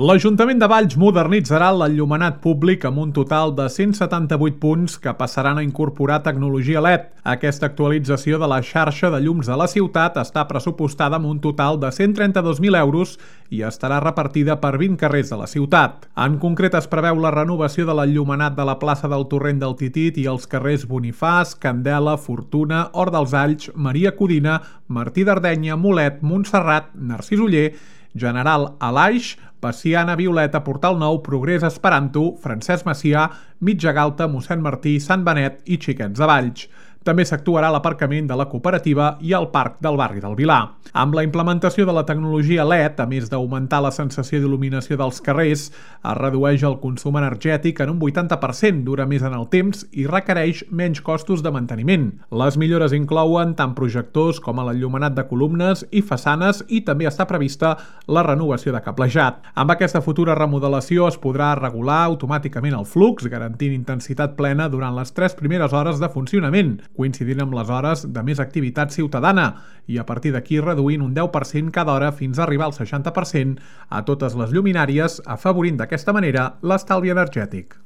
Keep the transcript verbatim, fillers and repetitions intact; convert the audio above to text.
L'Ajuntament de Valls modernitzarà l'enllumenat públic amb un total de cent setanta-vuit punts que passaran a incorporar tecnologia L E D. Aquesta actualització de la xarxa de llums de la ciutat està pressupostada amb un total de cent trenta-dos mil euros i estarà repartida per vint carrers de la ciutat. En concret, es preveu la renovació de l'enllumenat de la plaça del Torrent del Titit i els carrers Bonifàs, Candela, Fortuna, Hort dels Alls, Maria Codina, Martí d'Ardenya, Mulet, Montserrat, Narcís Oller, General Alaix, Paciana, Violeta, Portal Nou, Progrés, Esperanto, Francesc Macià, Mitja Galta, Mossèn Martí, Sant Benet i Xiquets de Valls. També s'actuarà a l'aparcament de la cooperativa i al parc del barri del Vilar. Amb la implementació de la tecnologia L E D, a més d'augmentar la sensació d'il·luminació dels carrers, es redueix el consum energètic en un vuitanta per cent, dura més en el temps i requereix menys costos de manteniment. Les millores inclouen tant projectors com a l'enllumenat de columnes i façanes i també està prevista la renovació de cablejat. Amb aquesta futura remodelació es podrà regular automàticament el flux, garantint intensitat plena durant les tres primeres hores de funcionament, coincidint amb les hores de més activitat ciutadana, i a partir d'aquí reduint un deu per cent cada hora fins a arribar al seixanta per cent a totes les lluminàries, afavorint d'aquesta manera l'estalvi energètic.